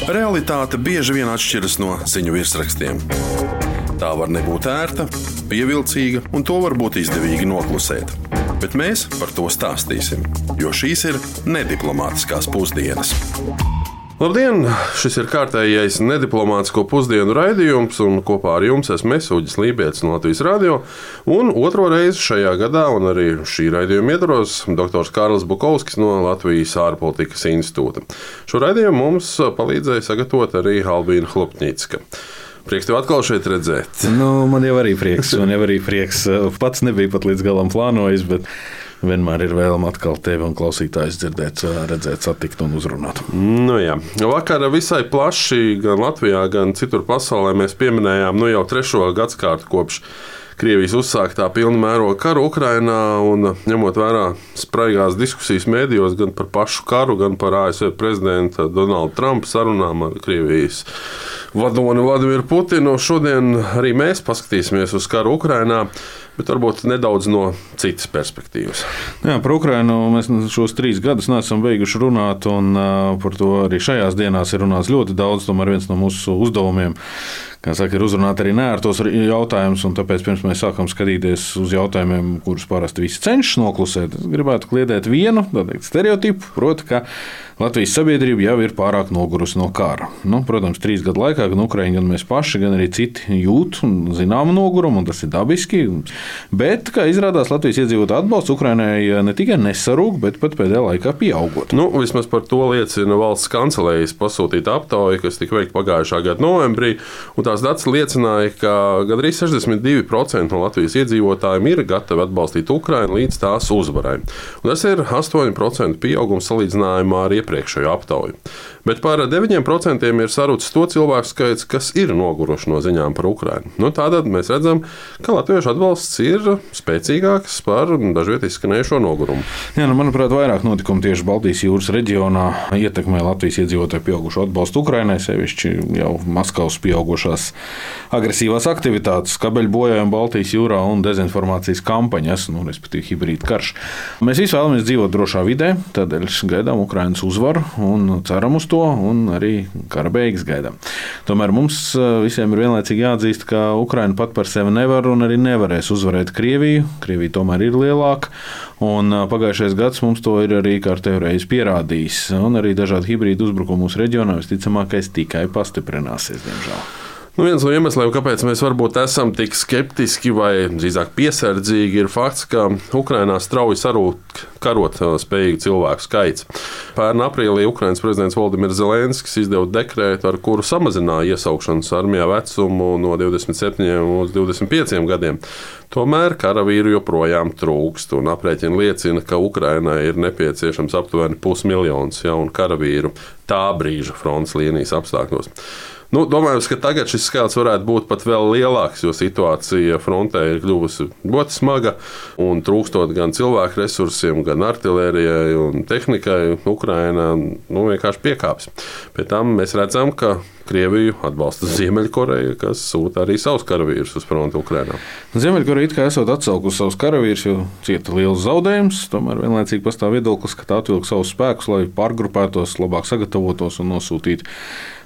Realitāte bieži vien atšķiras no ziņu virsrakstiem. Tā var nebūt ērta, pievilcīga, un to var būt izdevīgi noklusēt. Bet mēs par to stāstīsim, jo šīs ir nediplomātiskās pusdienas. Labdien! Šis ir kārtējais nediplomātisko pusdienu raidījums, un kopā ar jums esmu Uģis Lībietis no Latvijas Radio. Un otro reizi šajā gadā, un arī šī raidījuma ietvaros, doktors Kārlis Bukovskis no Latvijas ārpolitikas institūta. Šo raidījumu mums palīdzēja sagatavot arī Albīna Hlupņicka. Prieks tev atkal šeit redzēt. Man jau arī prieks. Pats nebija pat līdz galam plānojis, bet vienmēr ir vēlme atkal tevi un klausītājus dzirdēt, redzēt, satikt un uzrunāt. Vakar visai plaši gan Latvijā, gan citur pasaulē mēs pieminējām jau 3. gadsimtu kopš Krievijas uzsāktā pilna mēroga karu Ukrainā, un ņemot vērā spraigās diskusijas mēdījos gan par pašu karu, gan par ASV prezidenta Donalda Trumpa sarunām ar Krievijas vadoni Vladimiru Putinu. Šodien arī mēs paskatīsimies uz karu Ukrainā, bet varbūt nedaudz no citas perspektīvas. Par Ukrainu mēs šos 3 gadus neesam beiguši runāt, un par to arī šajās dienās ir runāts ļoti daudz. Tomēr viens no mūsu uzdevumiem, ir uzrunāt arī neērtos jautājumus, un tāpēc pirms mēs sākam skatīties uz jautājumiem, kurus parasti visi cenšas noklusēt, es gribētu kliedēt vienu stereotipu, proti, ka Latvijas sabiedrība jau ir pārāk nogurusi no kara. Protams, 3 gadu laikā gan Ukraiņi, gan mēs paši, gan arī citi jūt zināmu nogurumu, un tas ir dabiski. Bet, kā izrādās, Latvijas iedzīvotāju atbalsts Ukrainai ne tikai nesarūk, bet pat pēdējā laikā pieaugot. Vismaz par to liecina valsts kancelējas pasūtīta aptauja, kas tika veikta pagājušā gada novembrī, un tās datus liecināja, ka gandrīz 62% no Latvijas iedzīvotājiem ir gatavi atbalstīt Ukrainu līdz tās uzvarai. Un tas ir 8% pieaugums salīdzinājumā ar iepriekšējo aptauju. Bet par 9% ir sarucis to cilvēku skaits, kas ir noguruši no ziņām par Ukrainu. Tātad mēs redzam, ka latviešu atbalsts ir spēcīgāks par dažviet izskanējušo nogurumu. Manuprāt, vairāk notikumu tieši Baltijas jūras reģionā ietekmē Latvijas iedzīvotāju pieaugušo atbalstu Ukrainai, sevišķi jau Maskavas pieaugušās agresīvās aktivitātes, kabeļu bojājumi Baltijas jūrā un dezinformācijas kampaņas, respektīvi hibrīda karš. Mēs visi vēlamies dzīvot drošā vidē, tādēļ gaidām Ukrainas uzvaru un ceram uz to, un arī kara beigas gaidām. Tomēr mums visiem ir vienlaicīgi jāatzīst, ka Ukraina pat par sevi nevar un arī nevarēs uzvarēt Krieviju. Krievija tomēr ir lielāka, un pagājušais gads mums to ir arī kārtējo reizi pierādījis. Un arī dažādi hibrīdu uzbrukumi mūsu reģionā visticamākais tikai pastiprināsies, diemžēl. Viens no iemesliem, kāpēc mēs varbūt esam tik skeptiski vai drīzāk piesardzīgi, ir fakts, ka Ukrainā strauji sarūk karot spējīgu cilvēku skaits. Pērn aprīlī Ukrainas prezidents Volodimirs Zelenskis izdeva dekrētu, ar kuru samazināja iesaukšanas armijā vecumu no 27 uz 25 gadiem. Tomēr karavīru joprojām trūkst, un aprēķini liecina, ka Ukrainai ir nepieciešams aptuveni 500 000 jaunu karavīru tā brīža frontes līnijas apstākļos. Domājams, ka tagad šis skaits varētu būt pat vēl lielāks, jo situācija frontē ir kļuvusi ļoti smaga, un trūkstot gan cilvēku resursiem, gan artilērijai un tehnikai, Ukraina vienkārši piekāpjas. Pēc tam mēs redzam, ka Krieviju atbalsta Ziemeļkoreja, kas sūta arī savus karavīrus uz fronti Ukrainā. Ziemeļkoreja it kā esot atcaukusi savus karavīrus, jo cieta liels zaudējums, tomēr vienlaicīgi pastāv viedoklis, ka tā atvilk savus spēkus, lai pārgrupētos, labāk sagatavotos un nosūtītu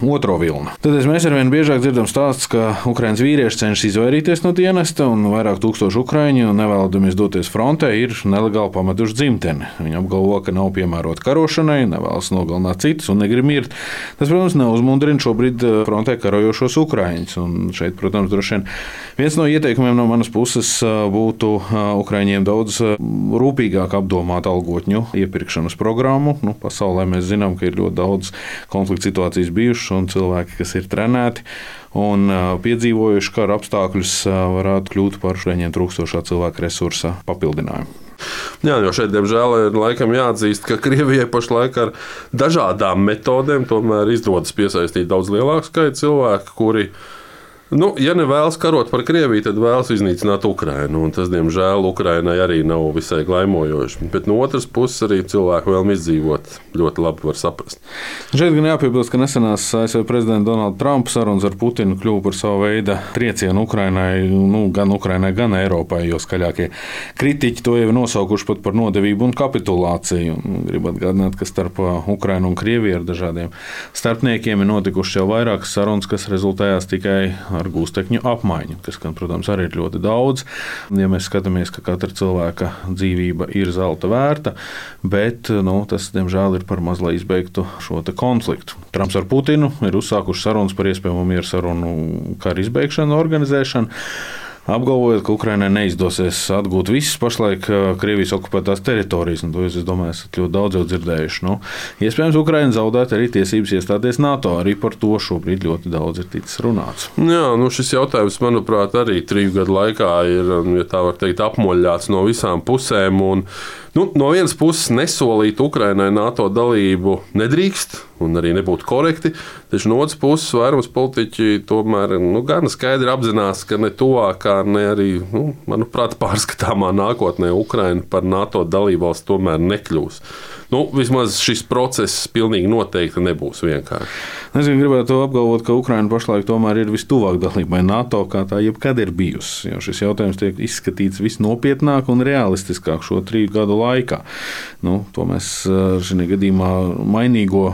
otro vilnu. Tad mēs arvien biežāk dzirdam stāstus, ka Ukrainas vīrieši cenšas izvairīties no dienesta, un vairāk tūkstoši ukraiņu, nevēlamies doties frontē, ir nelegāli pametuši dzimteni. Viņi apgalvo, ka nav piemēroti karošanai, nevēlas nogalināt citus un negrib mirt. Tas, protams, neuzmundrina šobrīd frontē karojošos ukraiņus. Un šeit, protams, droši vien viens no ieteikumiem no manas puses būtu ukraiņiem daudz rūpīgāk apdomāt algotņu iepirkšanas programmu. Pasaulē mēs zinām, ka ir ļoti daudz konflikta situācijas bijušas, un cilvēki, kas ir trenēti un piedzīvojuši kara apstākļus, varētu kļūt par šiem trūkstošā cilvēka resursa papildinājumu. Jo šeit, diemžēl, ir laikam jāatzīst, ka Krievijai pašlaik ar dažādām metodēm tomēr izdodas piesaistīt daudz lielāku skaitu cilvēku, kuri Ja nevēlas karot par Krieviju, tad vēlas iznīcināt Ukrainu. Tas, diemžēl, Ukrainai arī nav visai glaimojoši. Bet no otras puses arī cilvēku vēlmi izdzīvot ļoti labi var saprast. Šeit gan jāpiebilst, ka nesenās ASV prezidenta Donalda Trumpa sarunas ar Putinu kļuva par savu veidu triecienu Ukrainai, gan Ukrainai, gan Eiropai, jo skaļākie kritiķi to jau nosaukuši pat par nodevību un kapitulāciju. Gribu atgādināt, ka starp Ukrainu un Krieviju ar dažādiem starpniekiem ir notikušas jau vairākas sarunas, kas rezultējās tikai ar gūstekņu apmaiņu, kas, protams, arī ir ļoti daudz. Ja mēs skatāmies, ka katra cilvēka dzīvība ir zelta vērta, bet tas, diemžēl, ir par maz, lai izbeigtu šo konfliktu. Trumps ar Putinu ir uzsākuši sarunas par iespējamo mieru sarunu kara izbeigšanu, organizēšanu, apgalvojot, ka Ukrainai neizdosies atgūt visas pašlaik Krievijas okupētās teritorijas. To es domāju, esat ļoti daudz jau dzirdējuši. Iespējams, Ukraina zaudēt arī tiesības iestāties NATO. Arī par to šobrīd ļoti daudz ir ticis runāts. Jā, šis jautājums, manuprāt, arī 3 gadu laikā ir, ja tā var teikt, apmoļāts no visām pusēm. No vienas puses nesolīt Ukrainai NATO dalību nedrīkst un arī nebūtu korekti, taču no otras puses vairums politiķi tomēr gan skaidri apzinās, ka ne tuvākā, ne arī, manuprāt, pārskatāmā nākotnē Ukraina par NATO dalībvalsti tomēr nekļūs. Vismaz šis process pilnīgi noteikti nebūs vienkārši. Es gribētu apgalvot, ka Ukraina pašlaik tomēr ir vistuvāk dalībai NATO, kā tā jebkad ir bijusi. Jo šis jautājums tiek izskatīts visnopietnāk un realistiskāk šo 3 gadu laikā. To mēs šajā gadījumā mainīgo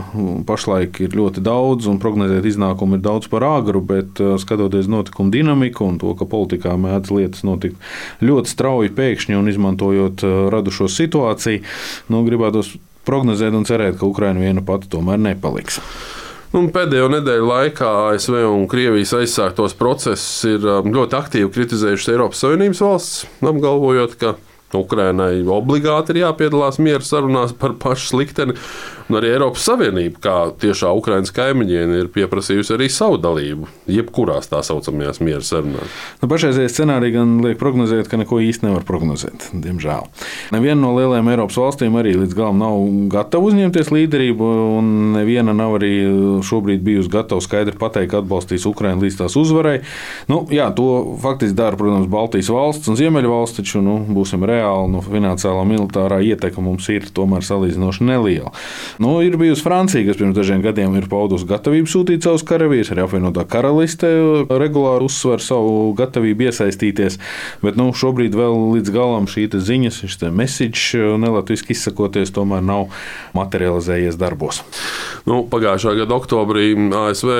pašlaik ir ļoti daudz un prognozēt iznākumu ir daudz par āgru, bet skatoties notikumu dinamiku un to, ka politikā mēdz lietas notikt ļoti strauji pēkšņi un izmantojot radušo situāciju, gribētos prognozēt un cerēt, ka Ukraina viena pati tomēr nepaliks. Pēdējo nedēļu laikā ASV un Krievijas aizsāktos procesus ir ļoti aktīvi kritizējušas Eiropas Savienības valsts, apgalvojot, ka Ukrainai obligāti ir jāpiedalās miera sarunās par pašu slikteni, un arī Eiropas Savienība, kā tiešā Ukrainas kaimiņiene, ir pieprasījusi arī savu dalību, jebkurās tā saucamajās miera sarunās. Pašreizējais scenārija gan liek prognozēt, ka neko īsti nevar prognozēt, diemžēl. Neviena no lielajām Eiropas valstīm arī līdz galam nav gatava uzņemties līderību, un neviena nav arī šobrīd bijusi gatava skaidri pateikt, ka atbalstīs Ukrainu līdz tās uzvarai. To faktiski dara, protams, Baltijas valsts un Ziemeļvalsts, taču būsim reāli, finansiālā militārā ietekme mums ir tomēr salīdzinoši neliela. Ir bijusi Francija, kas pirms dažiem gadiem ir paudusi gatavību sūtīt savus karavīrus, arī apvienotā karaliste regulāri uzsver savu gatavību iesaistīties, bet šobrīd vēl līdz galam šī ziņas, šis message, nelatviski izsakoties, tomēr nav materializējies darbos. Pagājušā gada oktobrī ASV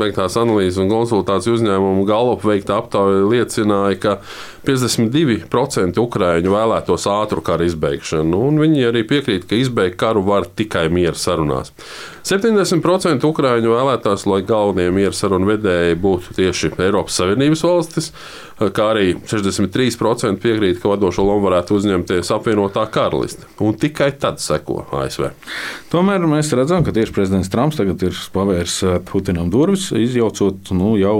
veiktās analīzes un konsultāciju uzņēmumu Gallup veikta aptauja liecināja, ka 52% Ukraiņu vēlētos ātru kara izbeigšanu, un viņi arī piekrīt, ka izbeigt karu var tikai miera sarunās. 70% Ukraiņu vēlētās, lai galvenie miera sarunu vedēji būtu tieši Eiropas Savienības valstis, kā arī 63% piekrīt, ka vadošo lomu varētu uzņemties apvienotā karaliste, un tikai tad seko ASV. Tomēr mēs redzam, ka tieši prezidents Trumps tagad ir pavērs Putinam durvis, izjaucot jau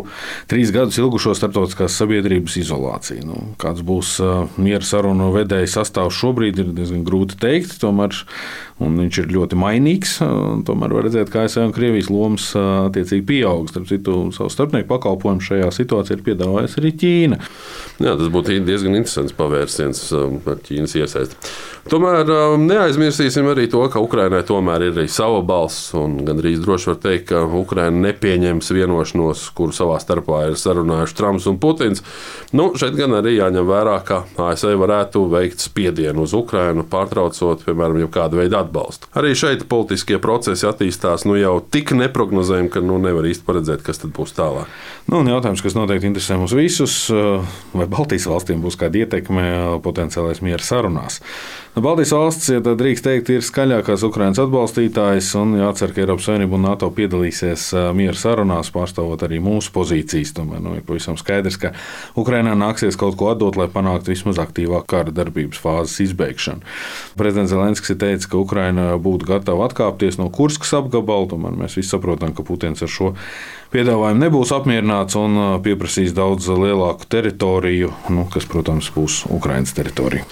3 gadus ilgušo starptautiskās sabiedrības izolāciju. Kāds būs miera sarunu vedēja sastāvs šobrīd, ir diezgan grūti teikt, tomēr viņš ir ļoti mainīgs. Tomēr var redzēt, ka ASV un Krievijas lomas attiecīgi pieaug. Starp citu, savu starpnieku pakalpojumu šajā situācijā ir piedāvājusi arī Ķīna. Jā, tas būtu diezgan interesants pavērsiens ar Ķīnas iesaisti. Tomēr neaizmirsīsim arī to, ka Ukrainai tomēr ir arī sava balss, un gandrīz droši var teikt, ka Ukraina nepieņems vienošanos, kuru savā starpā ir sarunājuši Trumps un Putins. Šeit gan arī jāņem vērā, ka ASV varētu veikt spiedienu uz Ukrainu, pārtraucot, piemēram, jau kādu veidu atbalstu. Arī šeit politiskie procesi attīstās jau tik neprognozējami, ka nevar īsti paredzēt, kas tad būs tālāk. Jautājums, kas noteikti interesē mums visus, vai Baltijas valstīm būs kāda ietekme potenciālais miera sarunās. Baltijas valsts, ja tā drīkst teikt, ir skaļākās Ukrainas atbalstītājas, un jācer, ka Eiropas Savienība un NATO piedalīsies miera sarunās, pārstāvot arī mūsu pozīcijas. Tomēr ir pavisam skaidrs, ka Ukrainā nāksies kaut ko atdot, lai panāktu vismaz aktīvāku kara darbības fāzes izbeigšanu. Prezidents Zelenskis ir teicis, ka Ukraina būtu gatava atkāpties no Kurskas apgabala, tomēr mēs visi saprotam, ka Putins ar šo piedāvājumu nebūs apmierināts un pieprasīs daudz lielāku teritoriju, kas, protams, būs Ukrainas teritorija.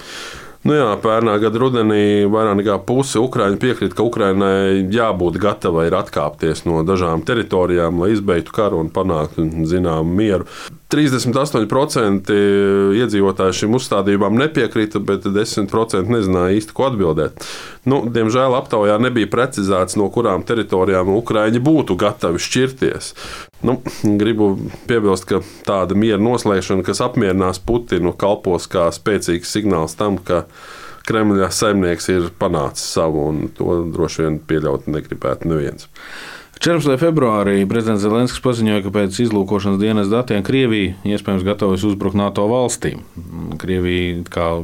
Nu jā, pērnā gada rudenī vairāk nekā puse Ukraiņu piekrita, ka Ukrainai jābūt gatavai atkāpties no dažām teritorijām, lai izbeigtu karu un panāktu zināmu mieru. 38% iedzīvotāji šīm uzstādījumām nepiekrita, bet 10% nezināja īsti, ko atbildēt. Diemžēl aptaujā nebija precizēts, no kurām teritorijām Ukraiņi būtu gatavi šķirties. Gribu piebilst, ka tāda miera noslēgšana, kas apmierinās Putinu, kalpos kā spēcīgs signāls tam, ka Kremļa saimnieks ir panācis savu, un to droši vien pieļaut negribētu neviens. 14. februārī prezidents Zelenskis paziņoja, ka pēc izlūkošanas dienas datiem Krievija iespējams gatavojas uzbrukt NATO valstīm. Krievija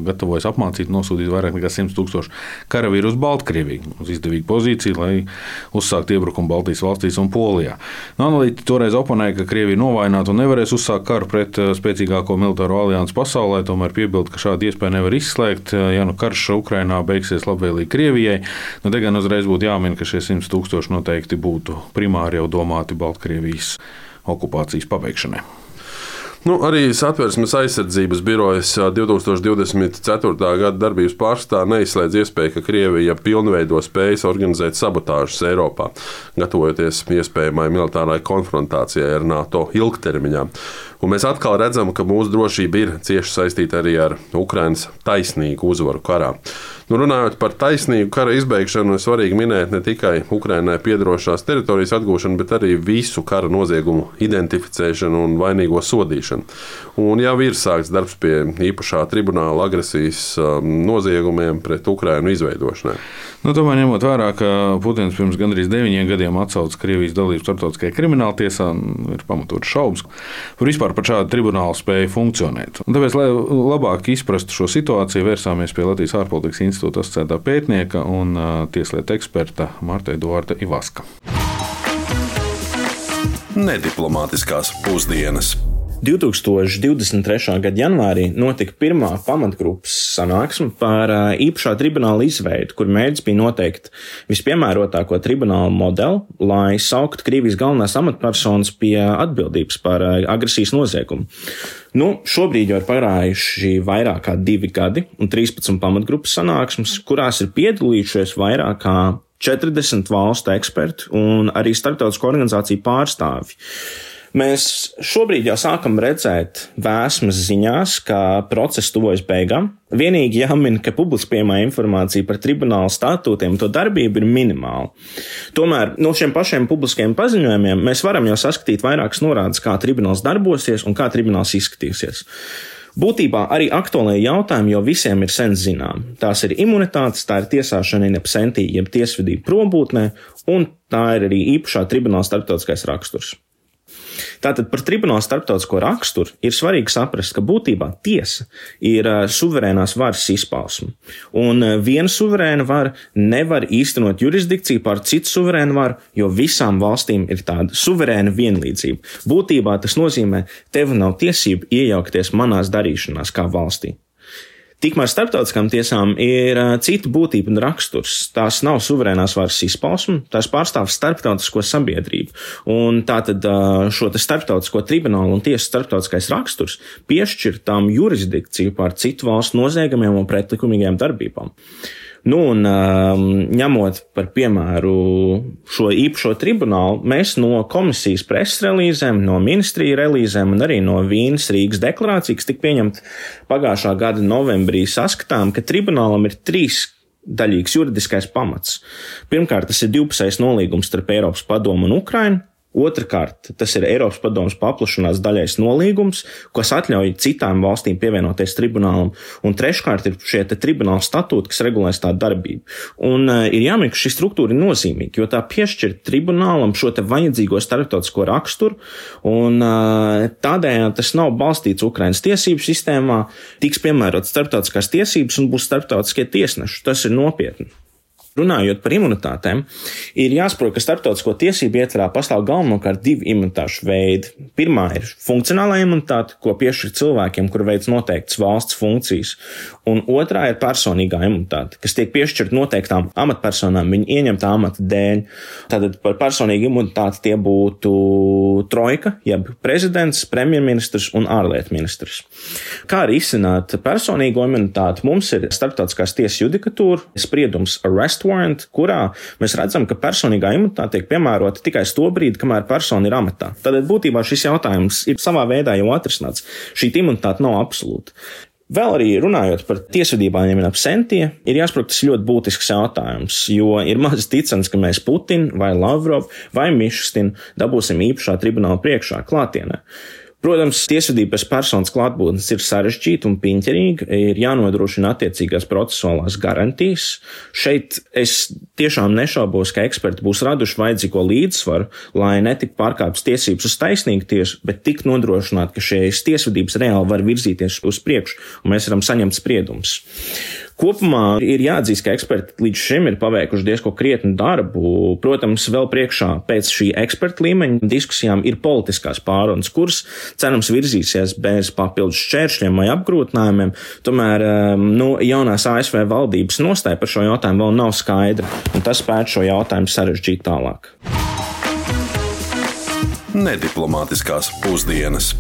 gatavojas apmācīt, nosūtīt vairāk nekā 100,000 karavīru uz Baltkrieviju, uz izdevīgu pozīciju, lai uzsāktu iebrukumu Baltijas valstīs un Polijā. Analītiķi toreiz oponēja, ka Krievija novājināta un nevarēs uzsākt karu pret spēcīgāko militāro aliansi pasaulē, tomēr piebilda, ka šādu iespēju nevar izslēgt, ja karš Ukrainā beigsies labvēlīgi Krievijai. Te gan uzreiz būtu jāmin, ka šie 100,000 noteikti būtu primāri jau domāti Baltkrievijas okupācijas pabeigšanai. Arī Satversmes aizsardzības birojas 2024. gada darbības pārskatā neizslēdz iespēju, ka Krievija pilnveido spējas organizēt sabotāžas Eiropā, gatavojoties iespējamai militārai konfrontācijai ar NATO ilgtermiņā. Un mēs atkal redzam, ka mūsu drošība ir cieši saistīta arī ar Ukrainas taisnīgu uzvaru karā. Runājot par taisnīgu kara izbeigšanu, ir svarīgi minēt ne tikai Ukrainai piederošās teritorijas atgūšanu, bet arī visu kara noziegumu identificēšanu un vainīgo sodīšanu. Un jau ir sākts darbs pie īpašā tribunāla agresijas noziegumiem pret Ukrainu izveidošanai. Tomēr ņemot vērā, ka Putins pirms gandrīz 9 gadiem atsauca Krievijas dalību starptautiskajā krimināltiesā, ir pamatotas šaubas par šādu tribunālu spēju funkcionēt. Un tāpēc, lai labāk izprastu šo situāciju, vērsāmies pie Latvijas ārpolitikas institūta asociētā pētnieka un tieslietu eksperta Marta Eduarda Ivaska. Nediplomātiskās pusdienas. 2023. gada janvārī notika pirmā pamatgrupas sanāksme par īpašā tribunāla izveidu, kur mērķis bija noteikt vispiemērotāko tribunāla modeli, lai sauktu Krievijas galvenās amatpersonas pie atbildības par agresijas noziegumu. Šobrīd jau ir pagājuši vairāk kā 2 gadi un 13 pamatgrupas sanāksmes, kurās ir piedalījušies vairāk kā 40 valstu eksperti un arī starptautisko organizāciju pārstāvji. Mēs šobrīd jau sākam redzēt vēsmas ziņās, ka process tuvojas beigām. Vienīgi jāmin, ka publiski pieejamā informācija par tribunāla statūtiem un to darbību ir minimāla. Tomēr no šiem pašiem publiskiem paziņojumiem mēs varam jau saskatīt vairākas norādes, kā tribunāls darbosies un kā tribunāls izskatīsies. Būtībā arī aktuālie jautājumi jau visiem ir sen zinām. Tās ir imunitātes, tā ir tiesāšana in absentī, jeb tiesvedība prombūtnē, un tā ir arī īpašā tribunāla starptautiskais raksturs. Tātad par tribunāla starptautisko raksturu ir svarīgi saprast, ka būtībā tiesa ir suverēnās varas izpausme. Un viena suverēna vara nevar īstenot jurisdikciju pār citu suverēnu varu, jo visām valstīm ir tāda suverēna vienlīdzība. Būtībā tas nozīmē, tev nav tiesība iejaukties manās darīšanās kā valstī. Tikmēr starptautiskām tiesām ir cita būtība un raksturs. Tās nav suverēnās varas izpausme, tās pārstāv starptautisko sabiedrību. Un tātad šo starptautisko tribunālu un tiesu starptautiskais raksturs piešķir tām jurisdikciju pār citu valstu noziegumiem un pretlikumīgajām darbībām. Ņemot par piemēru šo īpašo tribunālu, mēs no komisijas preses relīzēm, no ministriju relīzēm un arī no Vīnes Rīgas deklarācijas, kas tika pieņemta pagājušā gada novembrī, saskatām, ka tribunālam ir 3-daļīgs juridiskais pamats. Pirmkārt, tas ir divpusējs nolīgums starp Eiropas padomu un Ukrainu. Otrakārt, tas ir Eiropas padomes paplašanās daļais nolīgums, kas atļauj citām valstīm pievienoties tribunālam, un treškārt ir šie tribunāla statūti, kas regulēs tā darbību. Un ir jāmin, ka šī struktūra ir nozīmīga, jo tā piešķir tribunālam šo vajadzīgo starptautisko raksturu, un tādējādi tas nav balstīts Ukrainas tiesību sistēmā, tiks piemērotas starptautiskās tiesības un būs starptautiskie tiesneši. Tas ir nopietni. Runājot par imunitātēm, ir jāsaprot, ka starptautisko tiesību ietvarā pastāv galvenokārt divi imunitāšu veidi. Pirmā ir funkcionālā imunitāte, ko piešķir cilvēkiem, kuri veic noteiktas valsts funkcijas, un otrā ir personīgā imunitāte, kas tiek piešķirta noteiktām amatpersonām viņu ieņemtā amata dēļ. Tātad par personīgu imunitāti tie būtu trojka, jeb prezidents, premjerministrs un ārlietu ministrs. Kā arī izsināt personīgo imunitāti, mums ir starptautiskās tiesas judikatūra, spriedums arrest warrant, kurā mēs redzam, ka personīgā imunitāte tiek piemērota tikai to brīdi, kamēr persona ir amatā. Tātad būtībā šis jautājums ir savā veidā jau atrisināts. Šī imunitāte nav absolūta. Vēl arī runājot par tiesvedībām ap sentie, ir jāsaprot, tas ļoti būtisks jautājums, jo ir maz ticams, ka mēs Putinu vai Lavrovu vai Mišustinu dabūsim īpašā tribunāla priekšā klātienē. Protams, tiesvedība bez personas klātbūtnes ir sarežģīta un piņķerīga, ir jānodrošina attiecīgās procesuālās garantijas. Šeit es tiešām nešaubos, ka eksperti būs raduši vajadzīgo līdzsvaru, lai netiktu pārkāptas tiesības uz taisnīgu tiesu, bet tik nodrošināt, ka šīs tiesvedības reāli var virzīties uz priekšu un mēs varam saņemt spriedumus. Kopumā ir jāatzīst, ka eksperti līdz šim ir paveikuši diezko krietnu darbu. Protams, vēl priekšā pēc šī eksperta līmeņa diskusijām ir politiskās pārunas, kuras cerams virzīsies bez papildus šķēršļiem vai apgrūtinājumiem. Tomēr jaunās ASV valdības nostāja par šo jautājumu vēl nav skaidra, un tas spētu šo jautājumu sarežģīt tālāk. Nediplomātiskās pusdienas.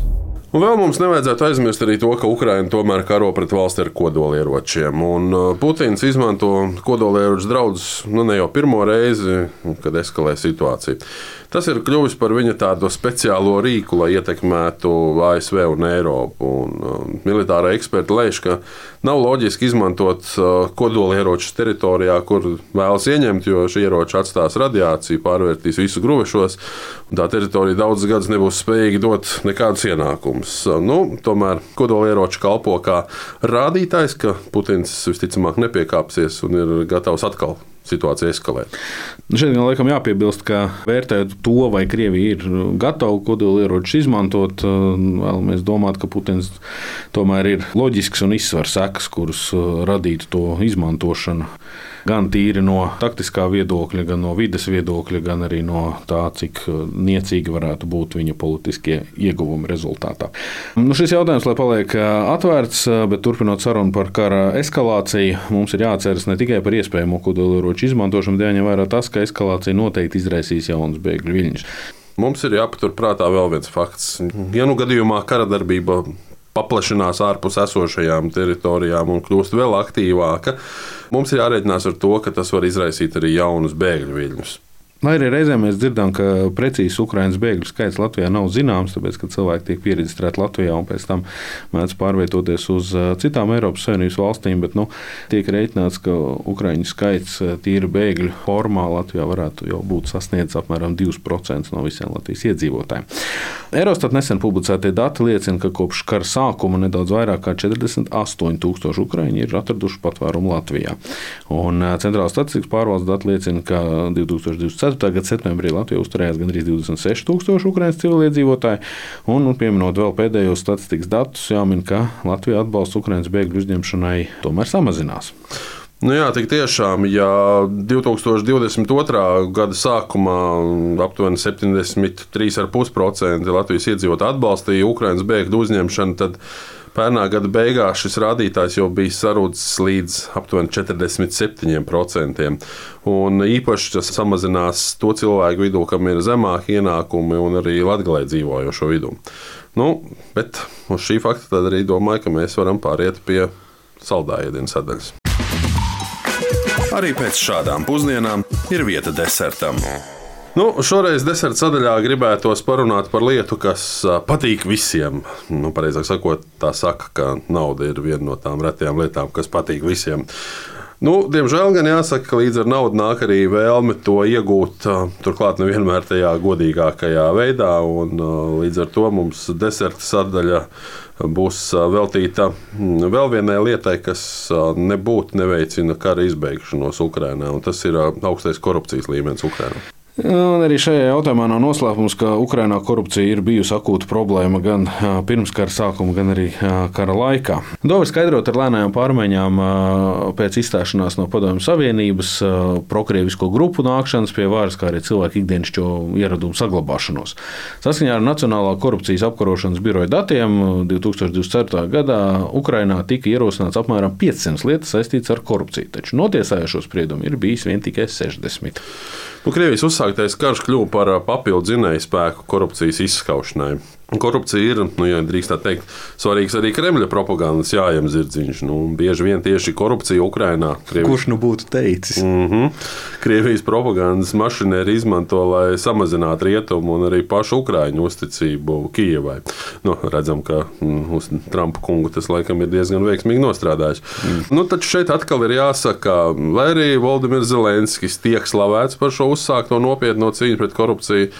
Un vēl mums nevajadzētu aizmirst arī to, ka Ukraina tomēr karo pret valsti ar kodolieročiem. Un Putins izmanto kodolieroču draudus ne jau pirmo reizi, kad eskalē situāciju. Tas ir kļuvis par viņa tādu speciālo rīku, lai ietekmētu ASV un Eiropu. Un militārai eksperti lēš, ka nav loģiski izmantot kodolieročus teritorijā, kur vēlas ieņemt, jo šie ieroči atstās radiāciju, pārvērtīs visu gruvešos, un tā teritorija daudzus gadus nebūs spējīga dot nekādus ienākumus. Tomēr kodolieroči kalpo kā rādītājs, ka Putins visticamāk nepiekāpsies un ir gatavs atkal situācija eskalēt. Šeit gan laikam jāpiebilst, ka vērtējot to, vai Krievija ir gatava kodolieročus izmantot, vēlamies domāt, ka Putins tomēr ir loģisks un izsver sekas, kuras radītu to izmantošanu. Gan tīri no taktiskā viedokļa, gan no vides viedokļa, gan arī no tā, cik niecīgi varētu būt viņa politiskie ieguvumi rezultātā. Šis jautājums, lai paliek atvērts, bet turpinot sarunu par kara eskalāciju, mums ir jāatceras ne tikai par iespējamo kodolieroču izmantošanu, bet jāņem vērā tas, ka eskalācija noteikti izraisīs jaunas bēgļu viļņus. Mums ir jāpatur prātā vēl viens fakts. Ja gadījumā kara darbība paplašinās ārpus esošajām teritorijām un kļūst vēl aktīvāka, mums ir jārēķinās ar to, ka tas var izraisīt arī jaunus bēgļu viļņus. Lai arī reizēm mēs dzirdam, ka precīzs Ukrainas bēgļu skaits Latvijā nav zināms, tāpēc, ka cilvēki tiek pieregistrēti Latvijā un pēc tam mēdz pārvietoties uz citām Eiropas Savienības valstīm, bet tiek rēķināts, ka ukraiņu skaits tīri bēgļu formā Latvijā varētu jau būt sasniedzis apmēram 2% no visiem Latvijas iedzīvotājiem. Eurostat nesen publicētie dati liecina, ka kopš kara sākuma nedaudz vairāk kā 48,000 ukraiņi ir atraduši patvērumu Latvijā. Un Centrālās statistikas pārvaldes dati liecina, ka 2024. gada septembrī Latvijā uzturējās gandrīz 26,000 ukraiņas civiliedzīvotāji, un pieminot vēl pēdējos statistikas datus, jāmin, ka Latvija atbalsts ukraiņas bēgļu uzņemšanai tomēr samazinās. Jā, tik tiešām, ja 2022. gada sākumā aptuveni 73,5% Latvijas iedzīvotāji atbalstīja Ukraiņas bēgļu uzņemšanu, tad pērnā gada beigās šis rādītājs jau bija sarūdzis līdz aptuveni 47%. Un īpaši tas samazinās to cilvēku vidū, kam ir zemāki ienākumi, un arī Latgalē dzīvojošo vidū. Bet uz šī fakta tad arī domāju, ka mēs varam pāriet pie saldā ēdienu sadaļas. Arī pēc šādām pusdienām ir vieta desertam. Šoreiz deserta sadaļā gribētos parunāt par lietu, kas patīk visiem. Pareizāk sakot, tā saka, ka nauda ir viena no tām retajām lietām, kas patīk visiem. Diemžēl gan jāsaka, ka līdz ar naudu nāk arī vēlme to iegūt, turklāt nevienmēr tajā godīgākajā veidā, un līdz ar to mums deserta sadaļa būs veltīta vēl vienai lietai, kas nebūtu neveicina kara izbeigšanos Ukrainā, un tas ir augstais korupcijas līmenis Ukrainā. Un arī šajā jautājumā nav noslēpums, ka Ukrainā korupcija ir bijusi akūta problēma gan pirms kara sākuma, gan arī kara laikā. To var skaidrot ar lēnām pārmaiņām pēc izstāšanās no Padomju Savienības, prokrievisko grupu nākšanas pie varas, kā arī cilvēku ikdienišķo ieradumu saglabāšanos. Saskaņā ar Nacionālā korupcijas apkarošanas biroja datiem 2024. gadā Ukrainā tika ierosināts apmēram 500 lietas saistītas ar korupciju, taču notiesājošo spriedumu ir bijis vien tikai 60. Krievijas uzsāktais karš kļuva par papildu dzinēju spēku korupcijas izskaušanai. Korupcija ir, ja drīkst tā teikt, svarīgs arī Kremļa propagandas jājam zirdziņš. Bieži vien tieši korupcija Ukrainā. Kurš nu būtu teicis? Krievijas propagandas mašinēri izmanto, lai samazinātu rietumu un arī pašu Ukraiņu uzticību Kijevai. Redzam, ka uz Trumpa kungu tas laikam ir diezgan veiksmīgi nostrādājis. Taču šeit atkal ir jāsaka, lai arī Voldimirs Zelenskis tiek slavēts par šo uzsākto nopietno cīņu pret korupciju,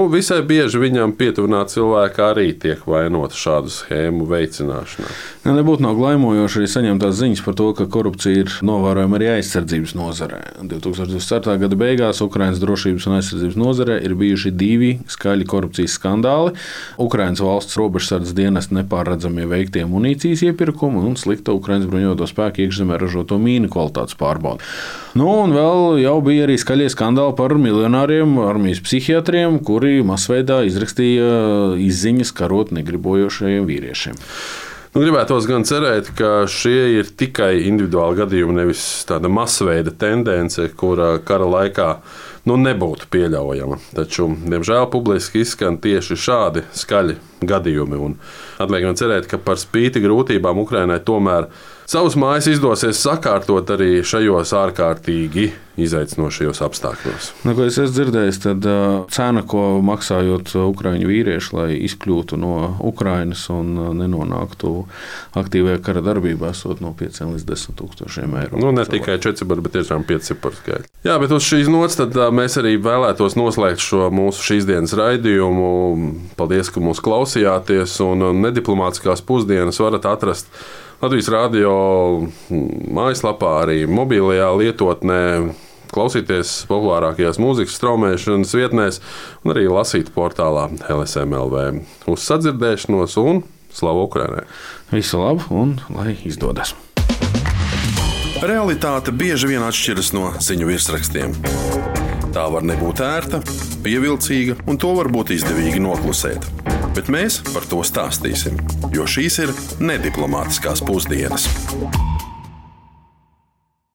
visai bieži viņam pietuvināti cilvēki arī tiek vainoti šādu schēmu veicināšanā. Nebūtu nav glaimojoši arī saņemtās ziņas par to, ka korupcija ir novērojama arī aizsardzības nozarē. 2024. gada beigās Ukrainas drošības un aizsardzības nozarē ir bijuši 2 skaļi korupcijas skandāli. Ukrainas valsts robežsardzes dienesta nepārredzamie veiktie munīcijas iepirkumi un slikta Ukrainas bruņoto spēku iekšzemē ražoto mīnu kvalitātes pārbaude. Un vēl jau bija arī skaļie skandāli par miljonāriem armijas psihiatriem, kuri masveidā izrakstīja izziņas karot negribojošajiem vīriešiem. Gribētos gan cerēt, ka šie ir tikai individuāli gadījumi, nevis tāda masveida tendence, kura kara laikā nebūtu pieļaujama. Taču, diemžēl, publiski izskan tieši šādi skaļi gadījumi. Atliek man cerēt, ka par spīti grūtībām Ukrainai tomēr savus mājas izdosies sakārtot arī šajos ārkārtīgi izaicinošajos apstākļos. Ko es esmu dzirdējis, tad cena, ko maksājot ukraiņu vīrieši, lai izkļūtu no Ukrainas un nenonāktu aktīvajā kara darbībā, esot no 5 līdz 10 tūkstošiem eiro. Ne tikai 4, bet tiešām 5 ciparu skaļi. Jā, bet uz šīs nots tad mēs arī vēlētos noslēgt šo mūsu šīs dienas raidījumu. Paldies, ka mūs klausījāties, un nediplomātiskās pusdienas varat atrast Latvijas radio mājaslapā, arī mobilajā lietotnē, klausīties populārākajās mūzikas straumēšanas vietnēs un arī lasīt portālā LSM.LV. Uz sadzirdēšanos un slavu Ukrainai! Visu labu un lai izdodas! Realitāte bieži vien atšķiras no ziņu virsrakstiem. Tā var nebūt ērta, pievilcīga, un to var būt izdevīgi noklusēt. Bet mēs par to stāstīsim, jo šīs ir nediplomātiskās pusdienas.